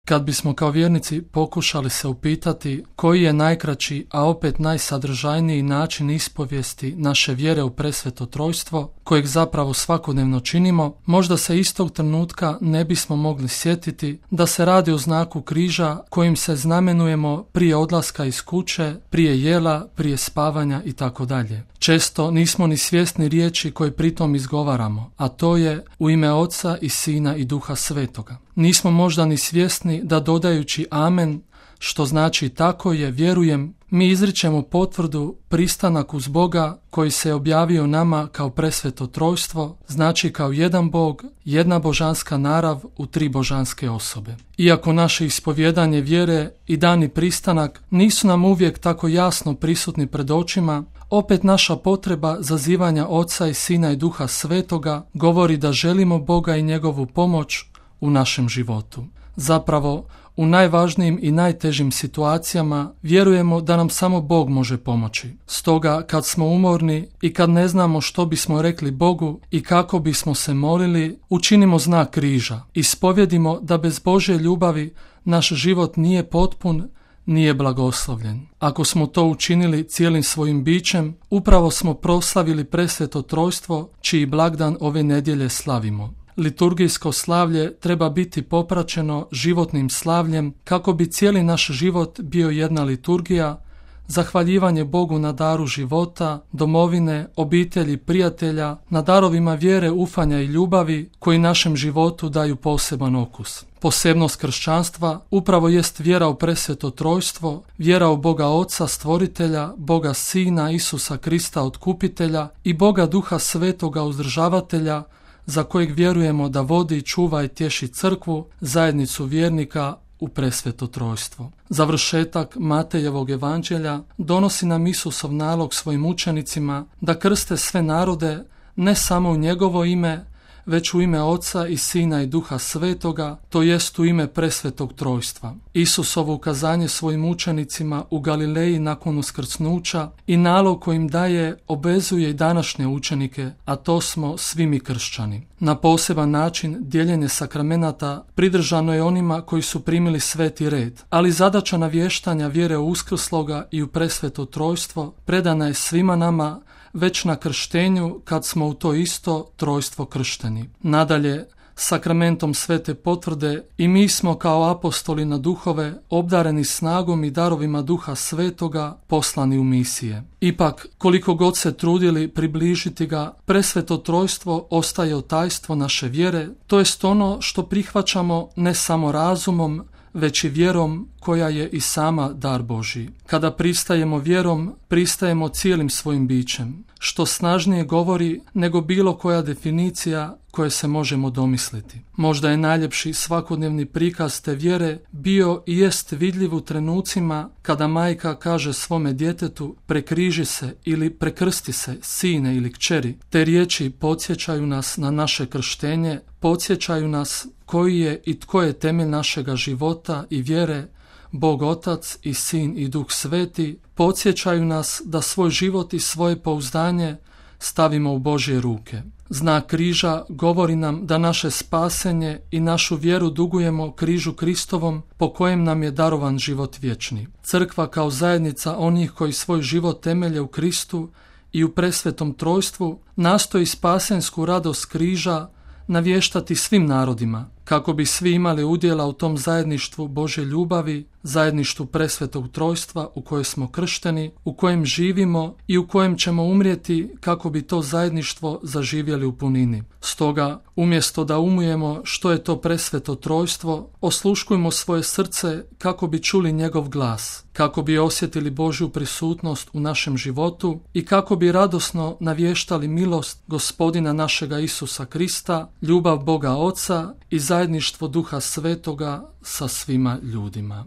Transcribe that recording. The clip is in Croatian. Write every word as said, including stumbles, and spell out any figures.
Kad bismo kao vjernici pokušali se upitati koji je najkraći, a opet najsadržajniji način ispovijesti naše vjere u presveto trojstvo, kojeg zapravo svakodnevno činimo, možda se istog trenutka ne bismo mogli sjetiti da se radi o znaku križa kojim se znamenujemo prije odlaska iz kuće, prije jela, prije spavanja i tako dalje. Često nismo ni svjesni riječi koje pritom izgovaramo, a to je u ime Oca i Sina i Duha Svetoga. Nismo možda ni svjesni da dodajući amen, što znači tako je, vjerujem, mi izričemo potvrdu, pristanak uz Boga koji se objavio nama kao presveto trojstvo, znači kao jedan Bog, jedna božanska narav u tri božanske osobe. Iako naše ispovjedanje vjere i dani pristanak nisu nam uvijek tako jasno prisutni pred očima, opet naša potreba zazivanja Oca i Sina i Duha Svetoga govori da želimo Boga i njegovu pomoć u našem životu. Zapravo, u najvažnijim i najtežim situacijama vjerujemo da nam samo Bog može pomoći. Stoga, kad smo umorni i kad ne znamo što bismo rekli Bogu i kako bismo se molili, učinimo znak križa. Ispovjedimo da bez Božje ljubavi naš život nije potpun, nije blagoslovljen. Ako smo to učinili cijelim svojim bićem, upravo smo proslavili presveto trojstvo, čiji blagdan ove nedjelje slavimo. Liturgijsko slavlje treba biti popraćeno životnim slavljem kako bi cijeli naš život bio jedna liturgija, zahvaljivanje Bogu na daru života, domovine, obitelji, prijatelja, na darovima vjere, ufanja i ljubavi koji našem životu daju poseban okus. Posebnost kršćanstva upravo jest vjera u presveto trojstvo, vjera u Boga Oca, Stvoritelja, Boga Sina, Isusa Krista, Otkupitelja i Boga Duha Svetoga, Uzdržavatelja, za kojeg vjerujemo da vodi, čuva i tješi crkvu, zajednicu vjernika u presveto trojstvo. Završetak Matejevog evanđelja donosi nam Isusov nalog svojim učenicima da krste sve narode ne samo u njegovo ime, već u ime Oca i Sina i Duha Svetoga, to jest u ime presvetog trojstva. Isusovo ukazanje svojim učenicima u Galileji nakon uskrsnuća i nalog kojim daje obvezuje i današnje učenike, a to smo svi mi kršćani. Na poseban način dijeljenje sakramenata pridržano je onima koji su primili sveti red, ali zadaća navještanja vjere u uskrsloga i u presveto trojstvo predana je svima nama već na krštenju kad smo u to isto trojstvo kršteni. Nadalje, sakramentom svete potvrde i mi smo kao apostoli na duhove obdareni snagom i darovima Duha Svetoga poslani u misije. Ipak, koliko god se trudili približiti ga, presveto trojstvo ostaje tajstvo naše vjere, to jest ono što prihvaćamo ne samo razumom, već i vjerom koja je i sama dar Božji. Kada pristajemo vjerom, pristajemo cijelim svojim bićem, što snažnije govori nego bilo koja definicija koje se možemo domisliti. Možda je najljepši svakodnevni prikaz te vjere bio i jest vidljiv u trenucima kada majka kaže svome djetetu prekriži se ili prekrsti se, sine ili kćeri. Te riječi podsjećaju nas na naše krštenje, podsjećaju nas koji je i tko je temelj našega života i vjere, Bog Otac i Sin i Duh Sveti, podsjećaju nas da svoj život i svoje pouzdanje stavimo u Božje ruke. Znak križa govori nam da naše spasenje i našu vjeru dugujemo križu Kristovom po kojem nam je darovan život vječni. Crkva kao zajednica onih koji svoj život temelje u Kristu i u presvetom trojstvu nastoji spasensku radost križa navještati svim narodima, kako bi svi imali udjela u tom zajedništvu Božje ljubavi, zajedništvu presvetog trojstva u kojem smo kršteni, u kojem živimo i u kojem ćemo umrijeti kako bi to zajedništvo zaživjeli u punini. Stoga, umjesto da umujemo što je to presveto trojstvo, osluškujmo svoje srce kako bi čuli njegov glas, kako bi osjetili Božju prisutnost u našem životu i kako bi radosno navještali milost Gospodina našega Isusa Krista, ljubav Boga Oca i zajedništvo Duha Svetoga sa svima ljudima.